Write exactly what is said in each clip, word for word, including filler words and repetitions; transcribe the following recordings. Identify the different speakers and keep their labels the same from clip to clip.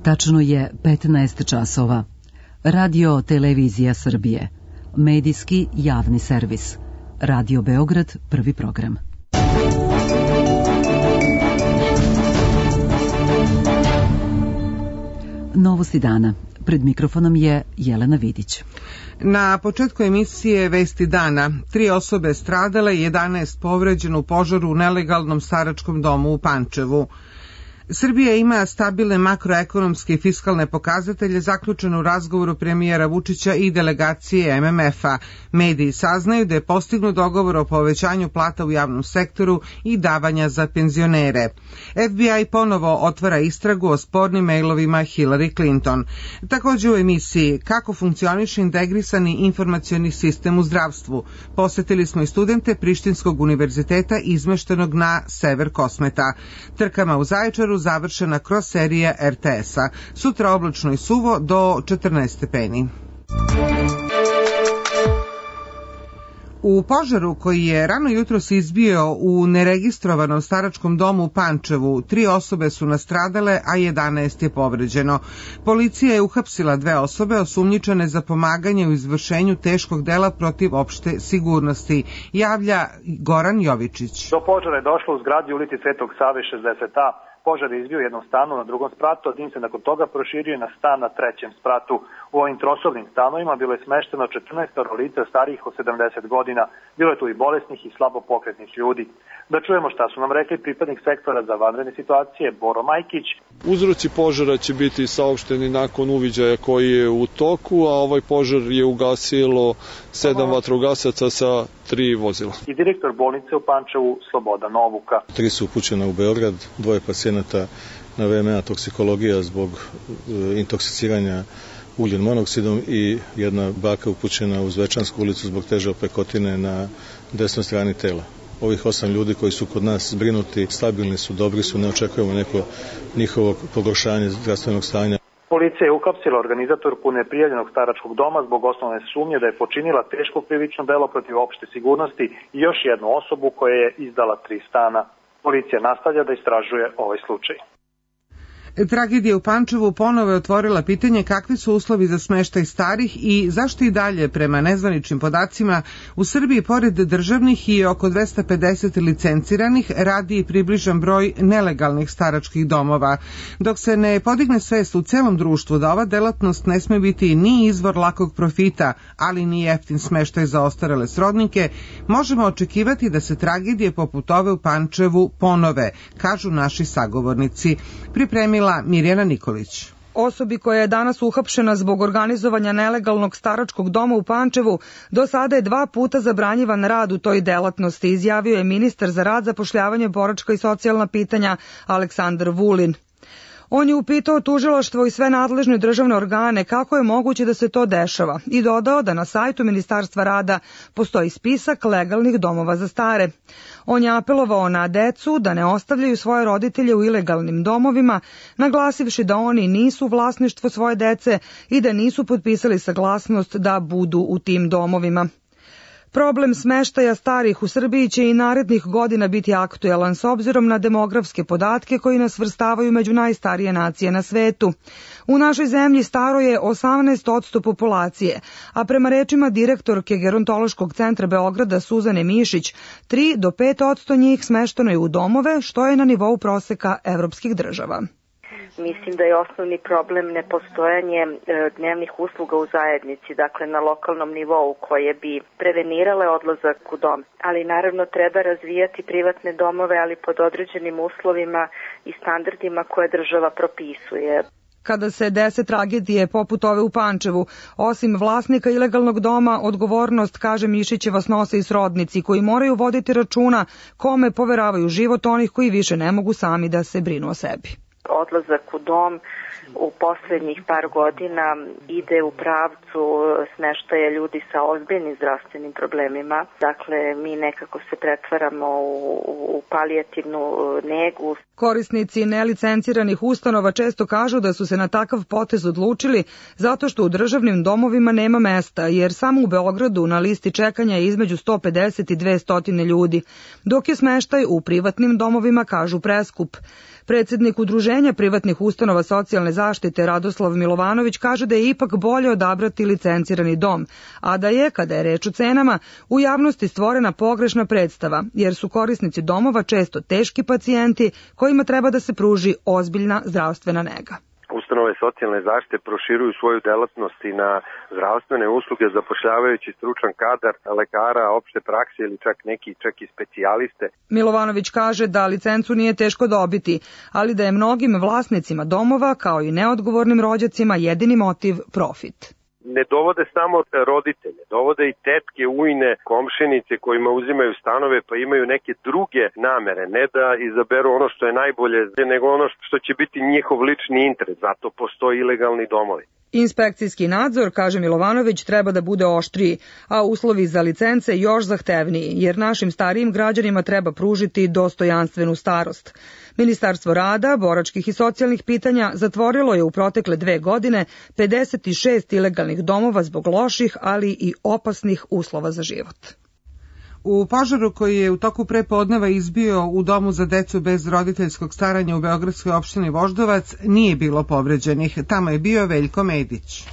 Speaker 1: Tačno je petnaest časova. Radio Televizija Srbije. Medijski javni servis. Radio Beograd, prvi program. Novosti dana. Pred mikrofonom je Jelena Vidić.
Speaker 2: Na početku emisije Vesti dana, tri osobe stradale, jedanaest povređeno u požaru u nelegalnom staračkom domu u Pančevu. Srbija ima stabilne makroekonomske i fiskalne pokazatelje zaključene u razgovoru premijera Vučića i delegacije M M F-a. Mediji saznaju da je postignut dogovor o povećanju plata u javnom sektoru i davanja za penzionere. F B I ponovo otvara istragu o spornim mailovima Hillary Clinton. Također u emisiji kako funkcioniše integrisani informacioni sistem u zdravstvu. Posetili smo i studente Prištinskog univerziteta izmeštenog na sever Kosmeta. Trkama u Zaječaru završena kroz serija R T S-a. Sutra oblačno i suvo do četrnaest stepeni. U požaru koji je rano jutros izbio u neregistrovanom staračkom domu u Pančevu, tri osobe su nastradale, a jedanaest je povređeno. Policija je uhapsila dve osobe osumnjičene za pomaganje u izvršenju teškog dela protiv opšte sigurnosti, javlja Goran Jovičić.
Speaker 3: Do požara je došlo u zgradi ulici Svetog Save šezdeset A. Požar je izbio u jednom stanu na drugom spratu, a dim se nakon toga proširio na stan na trećem spratu. U ovim trosobnim stanovima bilo je smešteno četrnaest lica starijih od sedamdeset godina. Bilo je tu i bolesnih i slabo pokretnih ljudi. Da čujemo šta su nam rekli pripadnik sektora za vanredne situacije Boro Majkić.
Speaker 4: Uzroci požara će biti saopšteni nakon uviđaja koji je u toku, a ovaj požar je ugasilo sedam vatrogasaca sa tri vozila.
Speaker 3: I direktor bolnice u Pančevu Slobodan Novuka.
Speaker 5: Tri su upućena u Beograd, dvoje pacijenata na V M A toksikologija zbog e, intoksiciranja ugljen monoksidom i jedna baka upućena u Zvečansku ulicu zbog teže opekotine na desnoj strani tela. Ovih osam ljudi koji su kod nas zbrinuti, stabilni su, dobri su, ne očekujemo neko njihovo pogoršanje zdravstvenog stanja.
Speaker 3: Policija je uhapsila organizatorku neprijavljenog staračkog doma zbog osnovne sumnje da je počinila teško krivično delo protiv opšte sigurnosti i još jednu osobu koja je izdala tri stana. Policija nastavlja da istražuje ovaj slučaj.
Speaker 2: Tragedija u Pančevu ponovo je otvorila pitanje kakvi su uslovi za smeštaj starih i zašto i dalje, prema nezvaničnim podacima, u Srbiji pored državnih i oko dvesta pedeset licenciranih radi i približan broj nelegalnih staračkih domova. Dok se ne podigne svest u celom društvu da ova delatnost ne sme biti ni izvor lakog profita, ali ni jeftin smeštaj za ostarele srodnike, možemo očekivati da se tragedije poput ove u Pančevu ponove, kažu naši sagovornici. Pripremila Mirjana Nikolić.
Speaker 6: Osobi koja je danas uhapšena zbog organizovanja nelegalnog staračkog doma u Pančevu, do sada je dva puta zabranjivan rad u toj delatnosti, izjavio je ministar za rad, zapošljavanje, boračka i socijalna pitanja Aleksandar Vulin. On je upitao tužilaštvo i sve nadležne državne organe kako je moguće da se to dešava i dodao da na sajtu Ministarstva rada postoji spisak legalnih domova za stare. On je apelovao na decu da ne ostavljaju svoje roditelje u ilegalnim domovima, naglasivši da oni nisu vlasništvo svoje dece i da nisu potpisali saglasnost da budu u tim domovima. Problem smeštaja starih u Srbiji će i narednih godina biti aktuelan s obzirom na demografske podatke koji nas svrstavaju među najstarije nacije na svetu. U našoj zemlji staro je osamnaest posto populacije, a prema rečima direktorke Gerontološkog centra Beograda Suzane Mišić, tri do pet posto njih smešteno je u domove, što je na nivou proseka evropskih država.
Speaker 7: Mislim da je osnovni problem nepostojanje dnevnih usluga u zajednici, dakle na lokalnom nivou koje bi prevenirale odlazak u dom. Ali naravno treba razvijati privatne domove, ali pod određenim uslovima i standardima koje država propisuje.
Speaker 6: Kada se dese tragedije poput ove u Pančevu, osim vlasnika ilegalnog doma, odgovornost, kaže Mišićeva, snose i srodnici koji moraju voditi računa kome poveravaju život onih koji više ne mogu sami da se brinu o sebi.
Speaker 7: Odlazak u dom u poslednjih par godina ide u pravcu smeštaja ljudi sa ozbiljnim zdravstvenim problemima. Dakle, mi nekako se pretvaramo u, u palijativnu negu.
Speaker 6: Korisnici nelicenciranih ustanova često kažu da su se na takav potez odlučili zato što u državnim domovima nema mesta, jer samo u Beogradu na listi čekanja je između sto pedeset i dvesta ljudi, dok je smeštaj u privatnim domovima, kažu, preskup. Predsjednik Udruženja Udruženja privatnih ustanova socijalne zaštite Radoslav Milovanović kaže da je ipak bolje odabrati licencirani dom, a da je, kada je reč o cenama, u javnosti stvorena pogrešna predstava, jer su korisnici domova često teški pacijenti kojima treba da se pruži ozbiljna zdravstvena nega.
Speaker 8: Ustanove socijalne zaštite proširuju svoju delatnost i na zdravstvene usluge, zapošljavajući stručan kadar lekara, opšte prakse ili čak neki čak i specijaliste.
Speaker 6: Milovanović kaže da licencu nije teško dobiti, ali da je mnogim vlasnicima domova, kao i neodgovornim rođacima, jedini motiv profit.
Speaker 8: Ne dovode samo roditelje, dovode i tetke, ujne, komšinice kojima uzimaju stanove pa imaju neke druge namere, ne da izaberu ono što je najbolje, nego ono što će biti njihov lični interes, zato postoji ilegalni domovi.
Speaker 6: Inspekcijski nadzor, kaže Milovanović, treba da bude oštriji, a uslovi za licence još zahtevniji, jer našim starijim građanima treba pružiti dostojanstvenu starost. Ministarstvo rada, boračkih i socijalnih pitanja zatvorilo je u protekle dve godine pedeset šest ilegalnih domova zbog loših, ali i opasnih uslova za život.
Speaker 2: U požaru koji je u toku prepodneva izbio u domu za decu bez roditeljskog staranja u beogradskoj opštini Voždovac nije bilo povređenih. Tamo je bio Veljko Medić.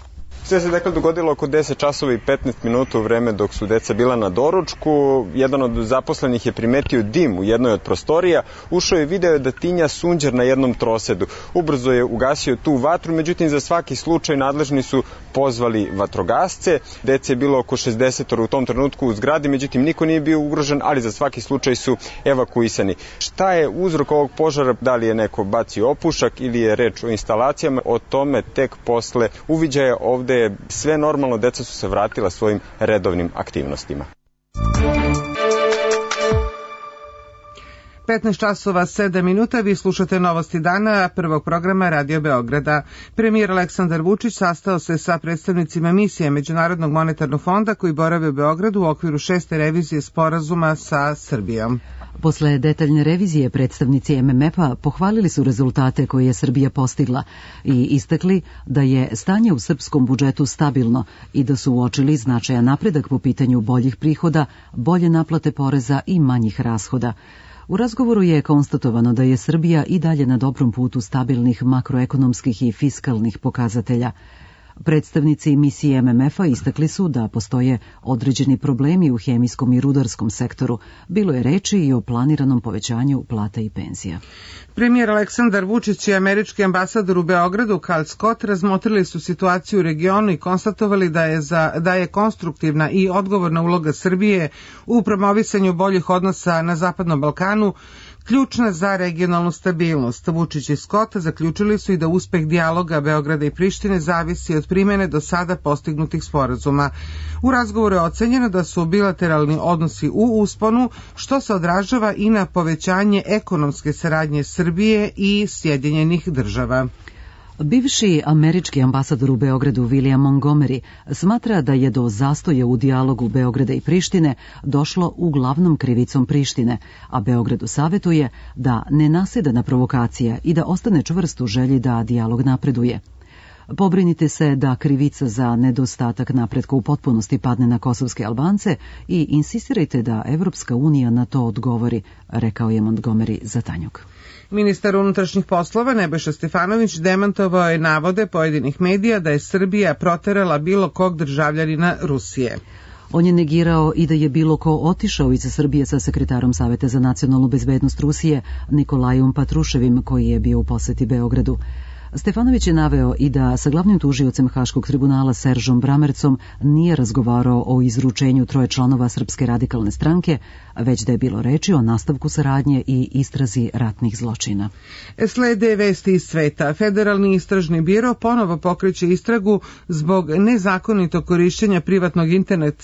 Speaker 9: Sve se dakle dogodilo oko deset časova i petnaest minuta u vreme dok su deca bila na doručku. Jedan od zaposlenih je primetio dim u jednoj od prostorija, ušao je i video da tinja sunđer na jednom trosedu. Ubrzo je ugasio tu vatru, međutim za svaki slučaj nadležni su pozvali vatrogasce. Dece je bilo oko šezdeset u tom trenutku u zgradi, međutim niko nije bio ugrožen, ali za svaki slučaj su evakuisani. Šta je uzrok ovog požara, da li je neko bacio opušak ili je reč o instalacijama, o tome tek posle uviđaja. Ovde je sve normalno, deca su se vratila svojim redovnim aktivnostima.
Speaker 2: petnaest časova sedam minuta, vi slušate Novosti dana prvog programa Radio Beograda. Premijer Aleksandar Vučić sastao se sa predstavnicima misije Međunarodnog monetarnog fonda koji borave u Beogradu u okviru šeste revizije sporazuma sa Srbijom.
Speaker 1: Posle detaljne revizije predstavnici M M F-a pohvalili su rezultate koje je Srbija postigla i istakli da je stanje u srpskom budžetu stabilno i da su uočili značajan napredak po pitanju boljih prihoda, bolje naplate poreza i manjih rashoda. U razgovoru je konstatovano da je Srbija i dalje na dobrom putu stabilnih makroekonomskih i fiskalnih pokazatelja. Predstavnici misije M M F-a istakli su da postoje određeni problemi u hemijskom i rudarskom sektoru. Bilo je reči i o planiranom povećanju plata i penzija.
Speaker 2: Premijer Aleksandar Vučić i američki ambasador u Beogradu Karl Scott razmotrili su situaciju u regionu i konstatovali da je, za, da je konstruktivna i odgovorna uloga Srbije u promovisanju boljih odnosa na Zapadnom Balkanu ključna za regionalnu stabilnost. Vučić i Scott zaključili su i da uspeh dijaloga Beograda i Prištine zavisi od primene do sada postignutih sporazuma. U razgovoru je ocenjeno da su bilateralni odnosi u usponu, što se odražava i na povećanje ekonomske saradnje Srbije i Sjedinjenih država.
Speaker 1: Bivši američki ambasador u Beogradu William Montgomery smatra da je do zastoja u dijalogu Beograda i Prištine došlo uglavnom krivicom Prištine, a Beogradu savetuje da ne naseda na provokacija i da ostane čvrst u želji da dijalog napreduje. Pobrinite se da krivica za nedostatak napretka u potpunosti padne na kosovske Albance i insistirajte da Evropska unija na to odgovori, rekao je Montgomery za Tanjug.
Speaker 2: Ministar unutrašnjih poslova Nebojša Stefanović demantovao je navode pojedinih medija da je Srbija proterala bilo kog državljanina Rusije.
Speaker 1: On je negirao i da je bilo ko otišao iz Srbije sa sekretarom Saveta za nacionalnu bezbednost Rusije Nikolajom Patruševim, koji je bio u poseti Beogradu. Stefanović je naveo i da sa glavnim tužiocem Haškog tribunala Seržom Bramercom nije razgovarao o izručenju troje članova Srpske radikalne stranke, već da je bilo reči o nastavku saradnje i istrazi ratnih zločina.
Speaker 2: Slede vesti iz sveta. Federalni istražni biro ponovo pokreće istragu zbog nezakonitog korišćenja privatnog internet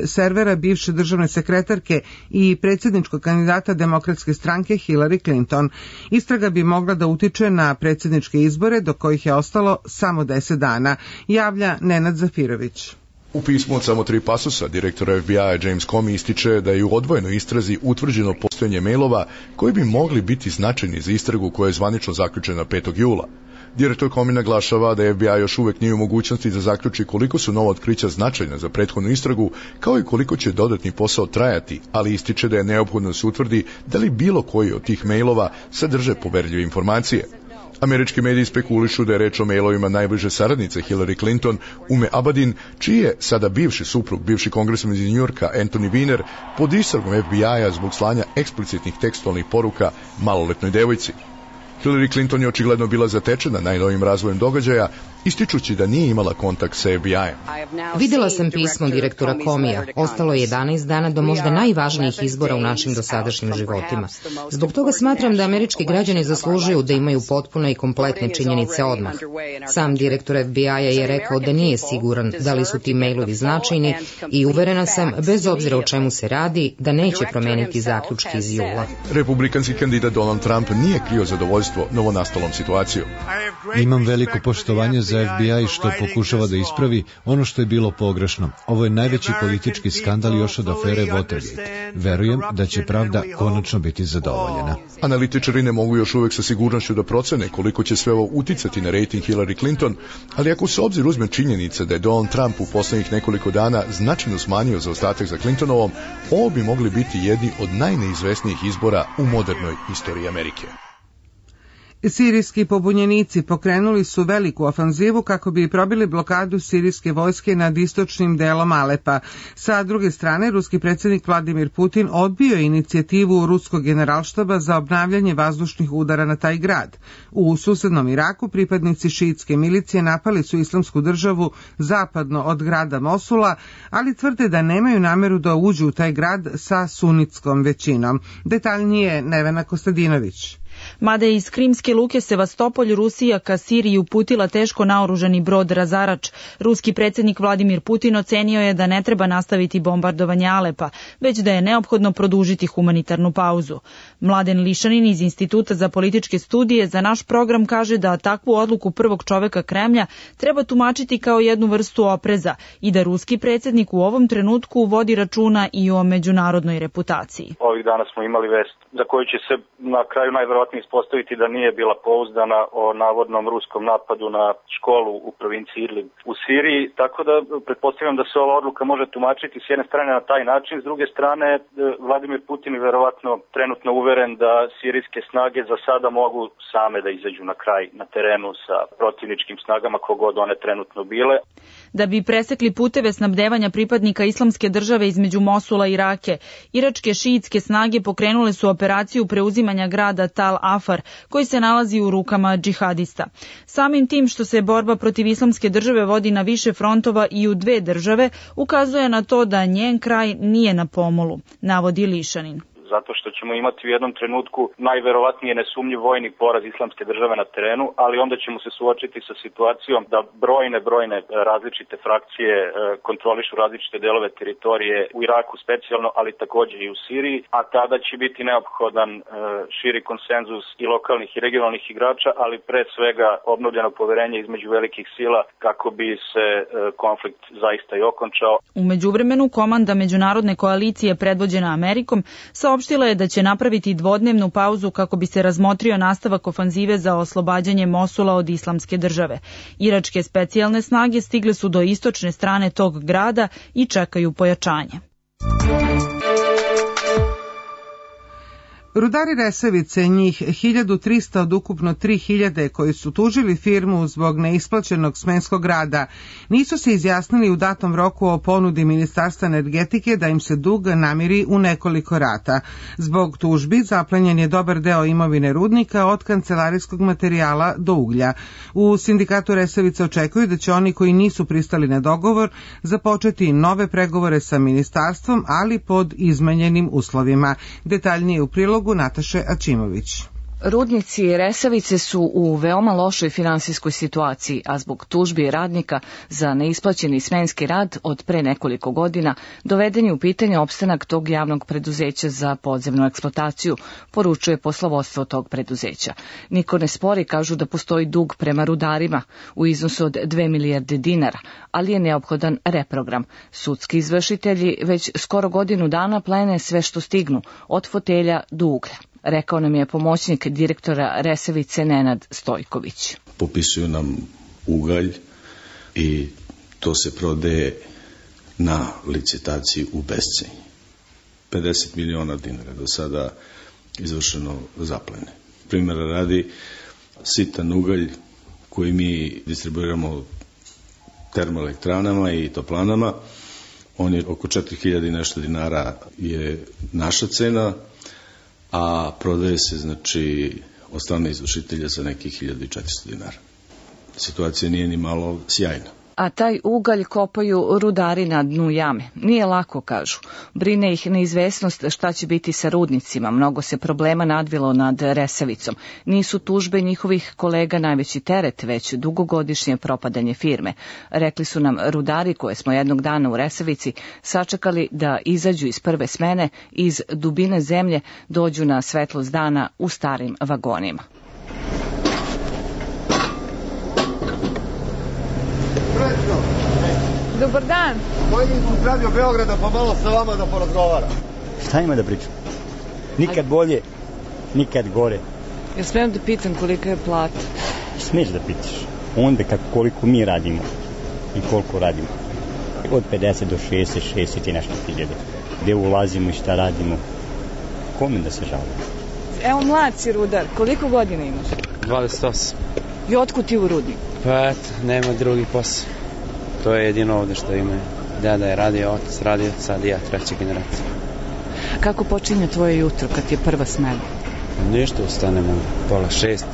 Speaker 2: servera bivše državne sekretarke i predsjedničkog kandidata Demokratske stranke Hillary Clinton. Istraga bi mogla da utiče na predsjedničke izbore do kojih je ostalo samo deset dana, javlja Nenad Zafirović.
Speaker 10: U pismu od samo tri pasusa direktora F B I-a James Comey ističe da je u odvojenoj istrazi utvrđeno postojanje mailova koji bi mogli biti značajni za istragu koja je zvanično zaključena petog jula. Direktor Comey naglašava da F B I još uvek nije u mogućnosti da zaključi koliko su nova otkrića značajna za prethodnu istragu, kao i koliko će dodatni posao trajati, ali ističe da je neophodno da se utvrdi da li bilo koji od tih mailova sadrže poverljive informacije. Američki mediji spekulišu da je reč o mailovima najbliže saradnice Hillary Clinton, Ume Abadin, čiji je sada bivši suprug, bivši kongresmen iz Njujorka Anthony Weiner, pod istragom F B I-a zbog slanja eksplicitnih tekstualnih poruka maloletnoj devojci. Hillary Clinton je očigledno bila zatečena najnovijim razvojem događaja, ističući da nije imala kontakt sa F B I-em.
Speaker 11: Videla sam pismo direktora Comija. Ostalo je jedanaest dana do možda najvažnijih izbora u našim dosadašnjim životima. Zbog toga smatram da američki građani zaslužuju da imaju potpune i kompletne činjenice odmah. Sam direktor F B I-a je rekao da nije siguran da li su ti mailovi značajni i uverena sam, bez obzira o čemu se radi, da neće promeniti zaključke iz jula.
Speaker 10: Republikanski kandidat Donald Trump nije krio zadovoljstvo novonastalom situacijom.
Speaker 12: Imam veliko poštovanje za F B I što pokušava da ispravi ono što je bilo pogrešno. Ovo je najveći politički skandal još od afere Watergate. Verujem da će pravda konačno biti zadovoljena.
Speaker 10: Analitičari ne mogu još uvek sa sigurnošću da procene koliko će sve ovo uticati na rejting Hillary Clinton, ali ako se obzir uzme činjenica da je Donald Trump u poslednjih nekoliko dana značajno smanjio zaostatak za Clintonovom, ovo bi mogli biti jedni od najneizvesnijih izbora u modernoj istoriji Amerike.
Speaker 2: Sirijski pobunjenici pokrenuli su veliku ofanzivu kako bi probili blokadu sirijske vojske nad istočnim delom Alepa. Sa druge strane, ruski predsjednik Vladimir Putin odbio je inicijativu ruskog generalštaba za obnavljanje vazdušnih udara na taj grad. U susednom Iraku pripadnici šiitske milicije napali su islamsku državu zapadno od grada Mosula, ali tvrde da nemaju nameru da uđu u taj grad sa sunitskom većinom. Detaljnije Nevena Kostadinović.
Speaker 13: Mada je iz krimske luke Sevastopolj Rusija ka Siriji uputila teško naoružani brod razarač, ruski predsjednik Vladimir Putin ocenio je da ne treba nastaviti bombardovanje Alepa, već da je neophodno produžiti humanitarnu pauzu. Mladen Lišanin iz Instituta za političke studije za naš program kaže da takvu odluku prvog čoveka Kremlja treba tumačiti kao jednu vrstu opreza i da ruski predsjednik u ovom trenutku vodi računa i o međunarodnoj reputaciji.
Speaker 14: Ovih dana smo imali vest za koju će se na kraju najverovatnije ispostaviti da nije bila pouzdana, o navodnom ruskom napadu na školu u provinciji Idlib u Siriji, tako da pretpostavljam da se ova odluka može tumačiti s jedne strane na taj način, s druge strane Vladimir Putin je verovatno trenutno uveren da sirijske snage za sada mogu same da izađu na kraj na terenu sa protivničkim snagama kogod one trenutno bile.
Speaker 13: Da bi presekli puteve snabdevanja pripadnika islamske države između Mosula i Rake, iračke šiitske snage pokrenule su operaciju preuzimanja grada Tal Afar, koji se nalazi u rukama džihadista. Samim tim što se borba protiv islamske države vodi na više frontova i u dve države, ukazuje na to da njen kraj nije na pomolu, navodi Lišanin.
Speaker 14: Zato što ćemo imati u jednom trenutku najverovatnije nesumnjiv vojni poraz islamske države na terenu, ali onda ćemo se suočiti sa situacijom da brojne, brojne različite frakcije kontrolišu različite delove teritorije u Iraku specijalno, ali također i u Siriji, a tada će biti neophodan širi konsenzus i lokalnih i regionalnih igrača, ali pre svega obnovljeno poverenje između velikih sila kako bi se konflikt zaista i okončao.
Speaker 13: U međuvremenu komanda međunarodne koalicije predvođena Amerikom saopštila je da će napraviti dvodnevnu pauzu kako bi se razmotrio nastavak ofanzive za oslobađanje Mosula od islamske države. Iračke specijalne snage stigle su do istočne strane tog grada i čekaju pojačanje.
Speaker 2: Rudari Resavice, njih hiljadu trista od ukupno tri hiljade koji su tužili firmu zbog neisplaćenog smenskog rada, nisu se izjasnili u datom roku o ponudi Ministarstva energetike da im se dug namiri u nekoliko rata. Zbog tužbi zaplenjen je dobar deo imovine rudnika od kancelarijskog materijala do uglja. U sindikatu Resavice očekuju da će oni koji nisu pristali na dogovor započeti nove pregovore sa ministarstvom, ali pod izmenjenim uslovima. Detaljnije u prilogu Nataše Ačimović.
Speaker 15: Rudnici Resavice su u veoma lošoj finansijskoj situaciji, a zbog tužbi radnika za neisplaćeni smenski rad od pre nekoliko godina doveden je u pitanje opstanak tog javnog preduzeća za podzemnu eksploataciju, poručuje poslovodstvo tog preduzeća. Niko ne spori, kažu da postoji dug prema rudarima u iznosu od dve milijarde dinara, ali je neophodan reprogram. Sudski izvršitelji već skoro godinu dana plene sve što stignu, od fotelja do uglja. Rekao nam je pomoćnik direktora Resavice Nenad Stojković.
Speaker 16: Popisuju nam ugalj i to se prodaje na licitaciji u bescenje. pedeset miliona dinara do sada izvršeno zaplene. Primjera radi, sitan ugalj koji mi distribuiramo termoelektranama i toplanama. On je oko četiri hiljade i nešto dinara je naša cena, a prodaje se znači od strane izvršitelja za nekih hiljadu i četiristo dinara. Situacija nije ni malo sjajna.
Speaker 15: A taj ugalj kopaju rudari na dnu jame. Nije lako, kažu. Brine ih neizvesnost šta će biti sa rudnicima. Mnogo se problema nadvilo nad Resavicom. Nisu tužbe njihovih kolega najveći teret, već dugogodišnje propadanje firme. Rekli su nam rudari koje smo jednog dana u Resavici sačekali da izađu iz prve smene, iz dubine zemlje dođu na svetlost dana u starim vagonima.
Speaker 17: Dobar dan.
Speaker 18: Koji iz Radio Beograda pa malo sa vama da porazgovara.
Speaker 19: Šta ima da pričam? Nikad bolje, nikad gore.
Speaker 17: Ja smijem da pitam kolika je plata?
Speaker 19: Smiješ da pitaš. Onda kako koliko mi radimo i koliko radimo. Od pedeset do šezdeset, šezdeset i nešto hiljade. Gde ulazimo i šta radimo. Kome da se žalimo?
Speaker 17: Evo mlad si rudar. Koliko godina imaš?
Speaker 20: dvadeset osam.
Speaker 17: I otkud ti u rudnik?
Speaker 20: Pa eto, nema drugi posao. To je jedino ovde što ima. Deda je radio, otac radio, sad i ja, treća generacija.
Speaker 17: Kako počinje tvoje jutro kad je prva smena?
Speaker 20: Ništa, ustanemo pola šest,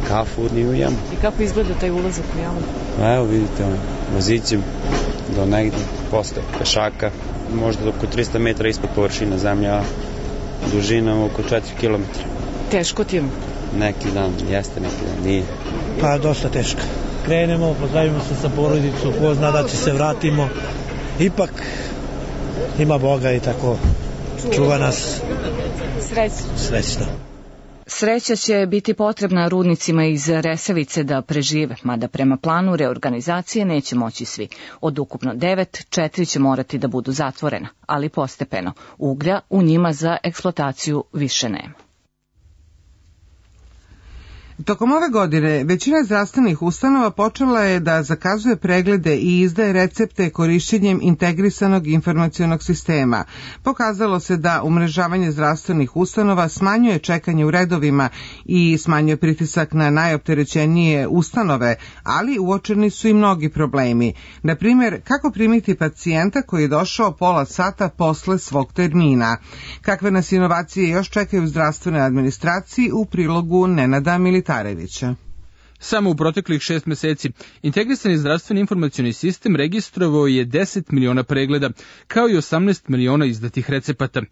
Speaker 20: kafu ujemo.
Speaker 17: I kako izgleda taj ulazak u jamu?
Speaker 20: Evo vidite, vozićem do negdje, posle pešaka, možda oko tristo metara ispod površine zemlje, a dužina oko četiri kilometra.
Speaker 17: Teško ti je?
Speaker 20: Neki dan jeste, neki dan nije.
Speaker 21: Pa dosta teško. Krenemo, pozdravimo se sa porodicom, ko zna da će se vratimo. Ipak ima Boga i tako čuva nas.
Speaker 17: Srećno.
Speaker 21: Srećno.
Speaker 15: Sreća će biti potrebna rudnicima iz Resavice da prežive, mada prema planu reorganizacije neće moći svi. Od ukupno devet, četiri će morati da budu zatvorena, ali postepeno. Uglja u njima za eksploataciju više nema.
Speaker 2: Tokom ove godine većina zdravstvenih ustanova počela je da zakazuje preglede i izdaje recepte korišćenjem integrisanog informacionog sistema. Pokazalo se da umrežavanje zdravstvenih ustanova smanjuje čekanje u redovima i smanjuje pritisak na najopterećenije ustanove, ali uočeni su i mnogi problemi. Na primjer, kako primiti pacijenta koji je došao pola sata posle svog termina. Kakve nas inovacije još čekaju u zdravstvenoj administraciji u prilogu Nenada Militarevića.
Speaker 22: Samo u proteklih šest meseci integrisani zdravstveni informacioni sistem registrovao je deset miliona pregleda, kao i osamnaest miliona izdatih recepata.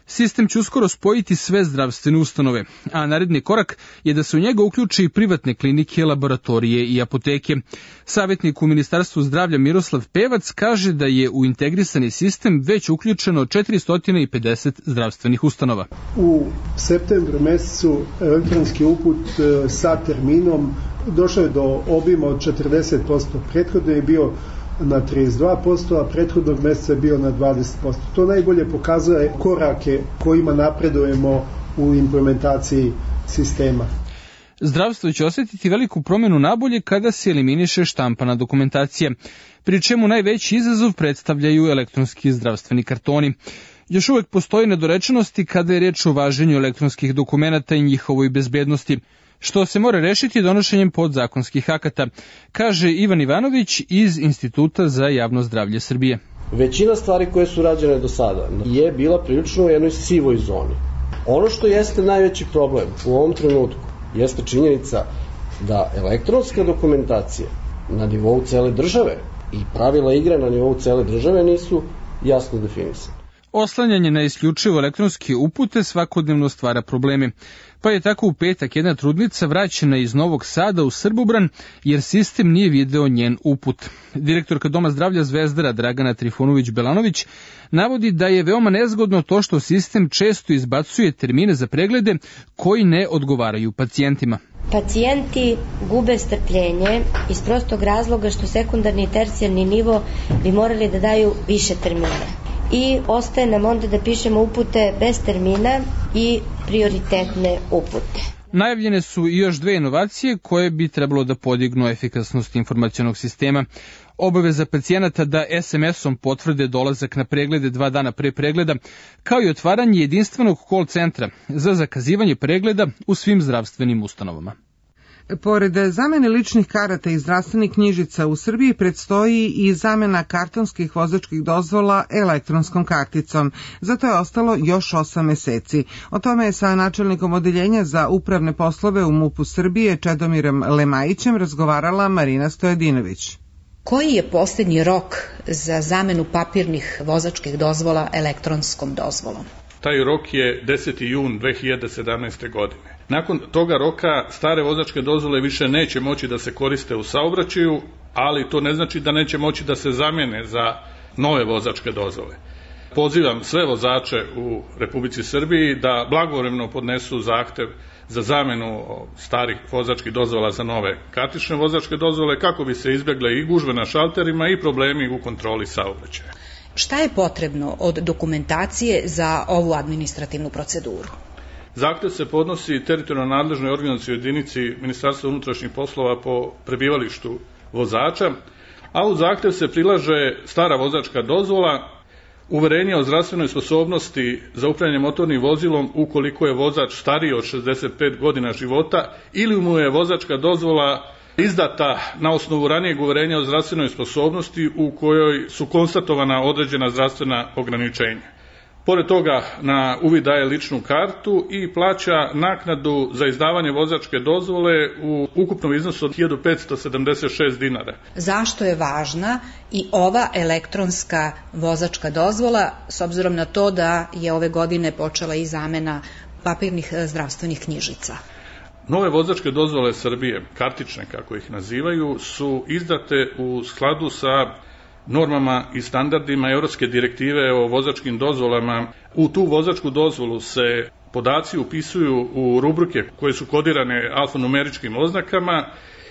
Speaker 22: Sistem će uskoro spojiti sve zdravstvene ustanove, a naredni korak je da se u njega uključi i privatne klinike, laboratorije i apoteke. Savjetnik u Ministarstvu zdravlja Miroslav Pevac kaže da je u integrisani sistem već uključeno četiristo pedeset zdravstvenih ustanova.
Speaker 23: U septembru mesecu elektronski uput sa terminom došao je do obima od četrdeset posto. Prethodno je bio na trideset dva posto, a prethodnog meseca je bio na dvadeset posto. To najbolje pokazuje korake kojima napredujemo u implementaciji sistema.
Speaker 22: Zdravstvo će osjetiti veliku promjenu nabolje kada se eliminiše štampana dokumentacija, pri čemu najveći izazov predstavljaju elektronski zdravstveni kartoni. Još uvek postoji nedorečenosti kada je reč o važenju elektronskih dokumenata i njihovoj bezbednosti, što se mora rešiti donošenjem podzakonskih akata, kaže Ivan Ivanović iz Instituta za javno zdravlje Srbije.
Speaker 24: Većina stvari koje su rađene do sada je bila prilično u jednoj sivoj zoni. Ono što jeste najveći problem u ovom trenutku jeste činjenica da elektronska dokumentacija na nivou cele države i pravila igre na nivou cele države nisu jasno definisane.
Speaker 22: Oslanjanje na isključivo elektronske upute svakodnevno stvara probleme, pa je tako u petak jedna trudnica vraćena iz Novog Sada u Srbobran jer sistem nije video njen uput. Direktorka Doma zdravlja Zvezdara Dragana Trifunović-Belanović navodi da je veoma nezgodno to što sistem često izbacuje termine za preglede koji ne odgovaraju pacijentima.
Speaker 25: Pacijenti gube strpljenje iz prostog razloga što sekundarni i tercijarni nivo bi morali da daju više termina. I ostaje nam onda da pišemo upute bez termina i prioritetne upute.
Speaker 22: Najavljene su i još dve inovacije koje bi trebalo da podignu efikasnost informacionog sistema. Obaveza pacijenata da es em esom potvrde dolazak na preglede dva dana pre pregleda, kao i otvaranje jedinstvenog call centra za zakazivanje pregleda u svim zdravstvenim ustanovama.
Speaker 2: Pored zamene ličnih karata i zdravstvenih knjižica u Srbiji predstoji i zamena kartonskih vozačkih dozvola elektronskom karticom. Zato je ostalo još osam meseci. O tome je sa načelnikom odeljenja za upravne poslove u MUP-u Srbije Čedomirom Lemajićem razgovarala Marina Stojadinović.
Speaker 3: Koji je posljednji rok za zamenu papirnih vozačkih dozvola elektronskom dozvolom?
Speaker 4: Taj rok je deseti jun dve hiljade sedamnaeste. godine. Nakon toga roka stare vozačke dozvole više neće moći da se koriste u saobraćaju, ali to ne znači da neće moći da se zamene za nove vozačke dozvole. Pozivam sve vozače u Republici Srbiji da blagovremeno podnesu zahtev za zamenu starih vozačkih dozvola za nove kartične vozačke dozvole kako bi se izbjegle i gužve na šalterima i problemi u kontroli saobraćaja.
Speaker 3: Šta je potrebno od dokumentacije za ovu administrativnu proceduru?
Speaker 4: Zahtev se podnosi teritorijalno nadležnoj organizacijskoj jedinici Ministarstva unutrašnjih poslova po prebivalištu vozača, a u zahtev se prilaže stara vozačka dozvola, uverenje o zdravstvenoj sposobnosti za upravljanje motornim vozilom ukoliko je vozač stariji od šezdeset pet godina života ili mu je vozačka dozvola izdata na osnovu ranijeg uverenja o zdravstvenoj sposobnosti u kojoj su konstatovana određena zdravstvena ograničenja. Pored toga na uvid daje ličnu kartu i plaća naknadu za izdavanje vozačke dozvole u ukupnom iznosu od hiljadu petsto sedamdeset šest dinara.
Speaker 3: Zašto je važna i ova elektronska vozačka dozvola, s obzirom na to da je ove godine počela i zamena papirnih zdravstvenih knjižica?
Speaker 4: Nove vozačke dozvole Srbije, kartične kako ih nazivaju, su izdate u skladu sa normama i standardima Europske direktive o vozačkim dozvolama. U tu vozačku dozvolu se podaci upisuju u rubrike koje su kodirane alfanumeričkim oznakama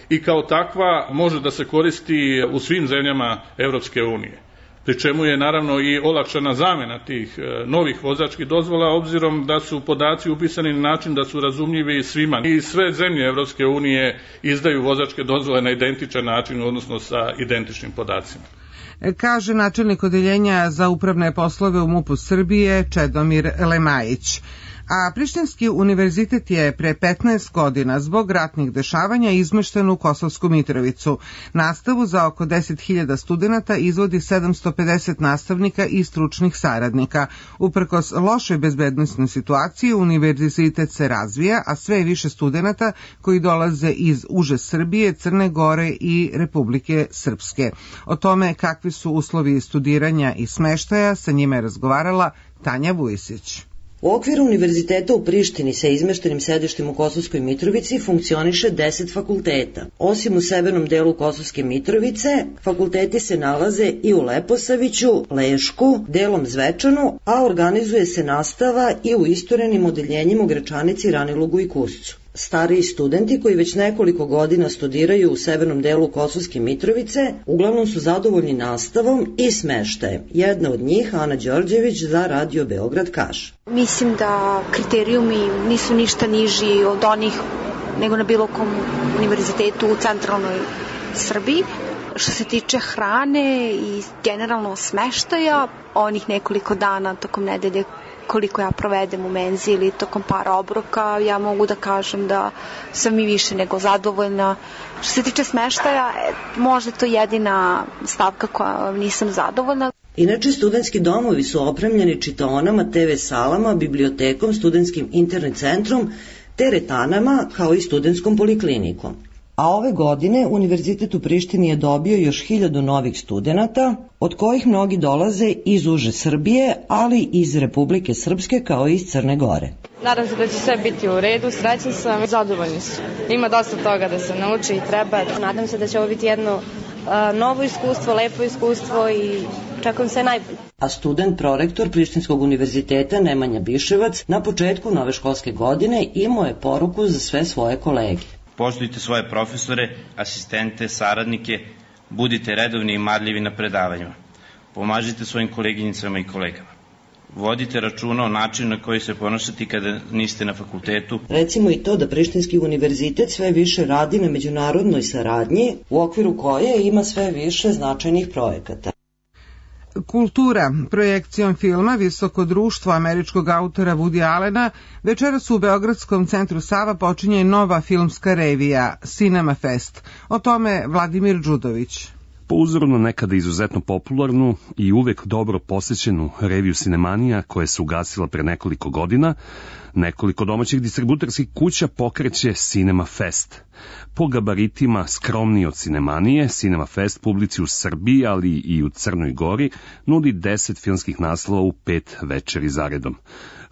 Speaker 4: i kao takva može da se koristi u svim zemljama Europske unije. Pri čemu je naravno i olakšana zamena tih novih vozačkih dozvola obzirom da su podaci upisani na način da su razumljivi svima. I sve zemlje Europske unije izdaju vozačke dozvole na identičan način, odnosno sa identičnim podacima.
Speaker 2: Kaže načelnik odeljenja za upravne poslove u MUP-u Srbije Čedomir Lemajić. A Prištinski univerzitet je pre petnaest godina zbog ratnih dešavanja izmešten u Kosovsku Mitrovicu. Nastavu za oko deset hiljada studenata izvodi sedamsto pedeset nastavnika i stručnih saradnika. Uprkos lošoj bezbednosnoj situaciji, univerzitet se razvija, a sve je više studenata koji dolaze iz uže Srbije, Crne Gore i Republike Srpske. O tome kakvi su uslovi studiranja i smeštaja, sa njima je razgovarala Tanja Vujisić.
Speaker 5: U okviru univerziteta u Prištini sa izmeštenim sedištem u Kosovskoj Mitrovici funkcioniše deset fakulteta. Osim u severnom delu Kosovske Mitrovice, fakulteti se nalaze i u Leposaviću, Lešku, delom Zvečanu, a organizuje se nastava i u istorenim odeljenjima u Gračanici, Ranilugu i Kuscu. Stariji studenti koji već nekoliko godina studiraju u severnom delu Kosovske Mitrovice uglavnom su zadovoljni nastavom i smeštajem. Jedna od njih, Ana Đorđević, za Radio Beograd kaže:
Speaker 7: Mislim da kriterijumi nisu ništa niži od onih nego na bilo kom univerzitetu u centralnoj Srbiji. Što se tiče hrane i generalno smeštaja, onih nekoliko dana tokom nedelje koliko ja provedem u menzi ili tokom par obroka, ja mogu da kažem da sam i više nego zadovoljna. Što se tiče smeštaja, možda to jedina stavka koja nisam zadovoljna.
Speaker 5: Inače, studentski domovi su opremljeni čitaonama, te ve salama, bibliotekom, studentskim internet centrom, teretanama, kao i studentskom poliklinikom. A ove godine Univerzitet u Prištini je dobio još hiljadu novih studenata, od kojih mnogi dolaze iz uže Srbije, ali i iz Republike Srpske kao i iz Crne Gore.
Speaker 8: Nadam se da će sve biti u redu, srećan sam, zadovoljni su. Ima dosta toga da se nauči i treba.
Speaker 25: Nadam se da će ovo biti jedno uh, novo iskustvo, lepo iskustvo i čekam sve najbolje.
Speaker 5: A student prorektor Prištinskog univerziteta Nemanja Biševac na početku nove školske godine imao je poruku za sve svoje kolege.
Speaker 26: Poštujte svoje profesore, asistente, saradnike, budite redovni i marljivi na predavanjima. Pomažite svojim koleginicama i kolegama. Vodite računa o načinu na koji se ponašati kada niste na fakultetu.
Speaker 5: Recimo i to da Prištinski univerzitet sve više radi na međunarodnoj saradnji, u okviru koje ima sve više značajnih projekata.
Speaker 2: Kultura, projekcijom filma Visoko društvo američkog autora Woody Allena, večeras u Beogradskom centru Sava počinje nova filmska revija Cinema Fest. O tome Vladimir Đudović.
Speaker 1: Po uzoru na nekada izuzetno popularnu i uvek dobro posjećenu reviju Cinemanija koja se ugasila pre nekoliko godina, nekoliko domaćih distributerskih kuća pokreće Cinema Fest. Po gabaritima skromniji od Cinemanije, Cinema Fest publici u Srbiji, ali i u Crnoj Gori, nudi deset filmskih naslova u pet večeri zaredom.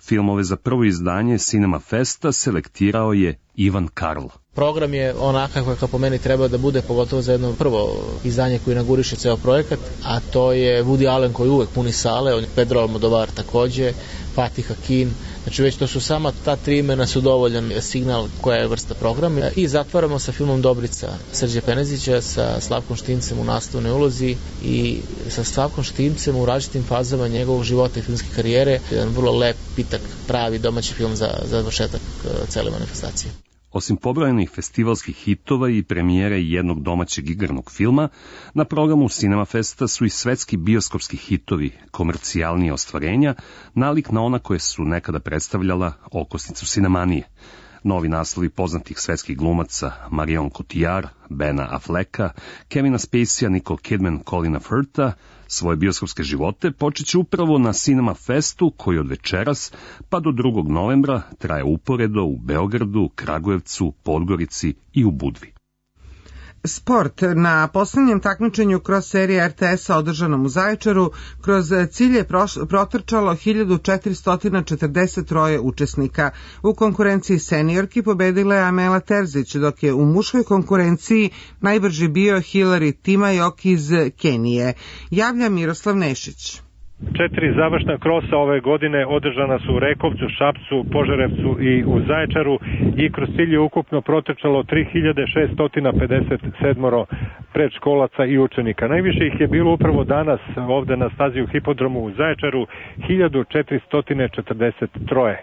Speaker 1: Filmove za prvo izdanje Cinema Festa selektirao je Ivan Karl.
Speaker 6: Program je onakav kako po meni treba da bude, pogotovo za jedno prvo izdanje koje inauguriše ceo projekat, a to je Woody Allen koji uvek puni sale, Pedro Almodovar takođe, Fatih Akin, znači već to su sama ta tri imena su dovoljan signal koja je vrsta programa. I zatvaramo sa filmom Dobrica Srđe Penezića sa Slavkom Štimcem u naslovnoj ulozi i sa Slavkom Štimcem u različitim fazama njegovog života i filmske karijere. Jedan vrlo lep, pitak, pravi domaći film za završetak cele manifestacije.
Speaker 1: Osim pobrojenih festivalskih hitova i premijere jednog domaćeg igranog filma, na programu Cinema Festa su i svetski bioskopski hitovi, komercijalnije ostvarenja, nalik na ona koje su nekada predstavljala okosnicu Cinemanije. Novi naslovi poznatih svetskih glumaca Marion Cotillard, Bena Afflecka, Kevina Spacey, Nicole Kidman, Colina Firtha, svoje bioskopske živote počet će upravo na Cinema Festu koji od večeras pa do drugog novembra traje uporedo u Beogradu, Kragujevcu, Podgorici i u Budvi.
Speaker 2: Sport. Na poslednjem takmičenju kroz serije er te esa održanom u Zaječaru kroz cilj je protrčalo hiljadu četiristo četrdeset tri učesnika. U konkurenciji seniorki pobedila je Amela Terzić, dok je u muškoj konkurenciji najbrži bio Hilary Timajok iz Kenije. Javlja Miroslav Nešić.
Speaker 9: Četiri završna krosa ove godine održana su u Rekovcu, Šapcu, Požarevcu i u Zaječaru i kroz cilj je ukupno protrčalo tri hiljade šeststo pedeset sedam predškolaca i učenika. Najviše ih je bilo upravo danas ovde na stazi u Hipodromu u Zaječaru, hiljadu četiristo četrdeset tri.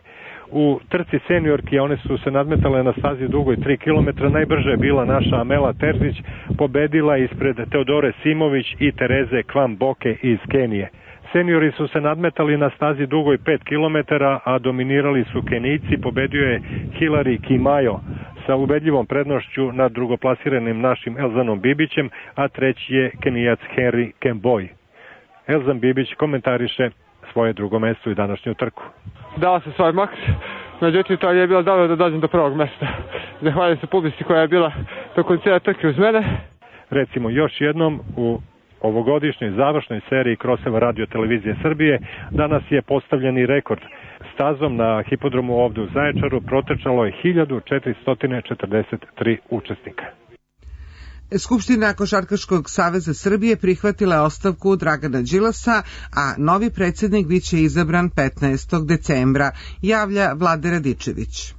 Speaker 9: U trci seniorki, one su se nadmetale na stazi dugoj tri kilometra, najbrže je bila naša Amela Terzić, pobedila ispred Teodore Simović i Tereze Kvamboke iz Kenije. Seniori su se nadmetali na stazi dugoj pet kilometara, a dominirali su Kenijci, pobedio je Hilary Kimayo sa ubedljivom prednošću nad drugoplasiranim našim Elzanom Bibićem, a treći je Kenijac Henry Kemboj. Elzan Bibić komentariše svoje drugo mesto i današnju trku.
Speaker 10: Dao se svoj maks, međutim to je bilo dobro da dođem do prvog mesta. Zahvaljujem se publici koja je bila tokom cijele trke uz mene.
Speaker 9: Recimo još jednom u ovogodišnjoj završnoj seriji Kroseva radio televizije Srbije danas je postavljeni rekord. Stazom na hipodromu ovde u Zaječaru protrčalo je hiljadu četiristo četrdeset tri učesnika.
Speaker 2: Skupština Košarkaškog saveza Srbije prihvatila je ostavku Dragana Đilasa, a novi predsjednik biće izabran petnaestog decembra, javlja Vlade Radičević.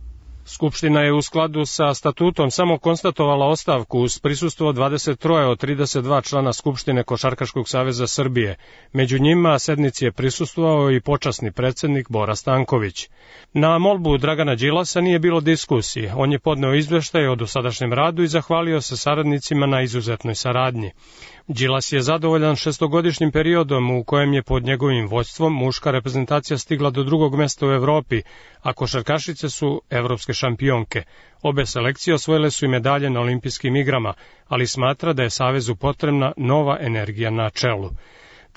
Speaker 11: Skupština je u skladu sa statutom samo konstatovala ostavku uz prisustvo dvadeset tri od trideset dva člana Skupštine Košarkaškog saveza Srbije. Među njima sednici je prisustvovao i počasni predsjednik Bora Stanković. Na molbu Dragana Đilasa nije bilo diskusije. On je podneo izveštaj o dosadašnjem radu i zahvalio se saradnicima na izuzetnoj saradnji. Đilas je zadovoljan šestogodišnjim periodom u kojem je pod njegovim vođstvom muška reprezentacija stigla do drugog mesta u Evropi, a košarkašice su evropske šampionke. Obe selekcije osvojile su i medalje na olimpijskim igrama, ali smatra da je Savezu potrebna nova energija na čelu.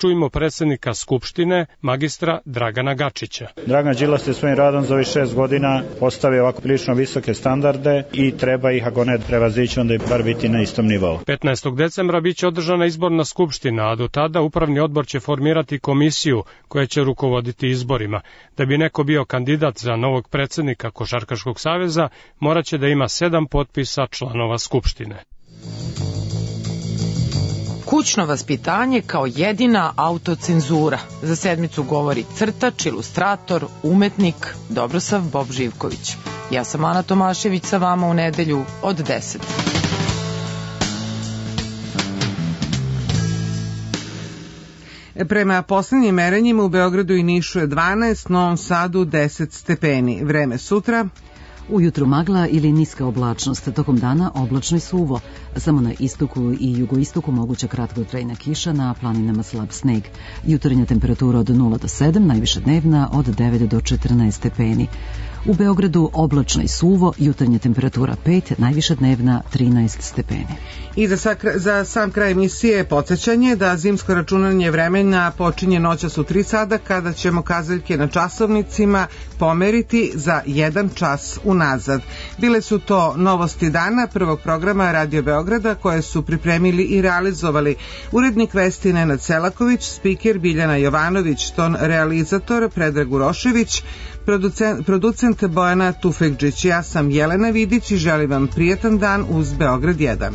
Speaker 11: Čujmo predsjednika Skupštine, magistra Dragana Gačića.
Speaker 12: Dragan Đilas je svojim radom za ovih šest godina postavio ovako prilično visoke standarde i treba ih, ako ne prevazići, onda i bar biti na istom nivou.
Speaker 11: petnaestog decembra biće održana izborna skupština, a do tada upravni odbor će formirati komisiju koja će rukovoditi izborima. Da bi neko bio kandidat za novog predsjednika Košarkaškog saveza, moraće da ima sedam potpisa članova Skupštine.
Speaker 27: Kućno vaspitanje kao jedina autocenzura. Za sedmicu govori crtač, ilustrator, umetnik Dobrosav Bob Živković. Ja sam Ana Tomašević sa vama u nedelju od deset.
Speaker 2: Prema poslednjim merenjima u Beogradu i Nišu je dvanaest, Novom Sadu deset stepeni. Vreme sutra.
Speaker 13: Ujutru magla ili niska oblačnost, tokom dana oblačno i suvo. Samo na istoku i jugoistoku moguća kratkotrajna kiša, na planinama slab sneg. Jutarnja temperatura od nula do sedam, najviša dnevna od devet do četrnaest stepeni. U Beogradu oblačno i suvo, jutarnja temperatura pet, najviša dnevna trinaest stepeni.
Speaker 2: I za, sakra, za sam kraj emisije podsjećanje da zimsko računanje vremena počinje noćas u tri sada, kada ćemo kazaljke na časovnicima pomeriti za jedan čas unazad. Bile su to novosti dana prvog programa Radio Beograda koje su pripremili i realizovali urednik vesti Nenad Selaković, spiker Biljana Jovanović, ton realizator Predrag Urošević, producent, producent Bojana Tufekđić. Ja sam Jelena Vidić i želim vam prijetan dan uz Beograd jedan.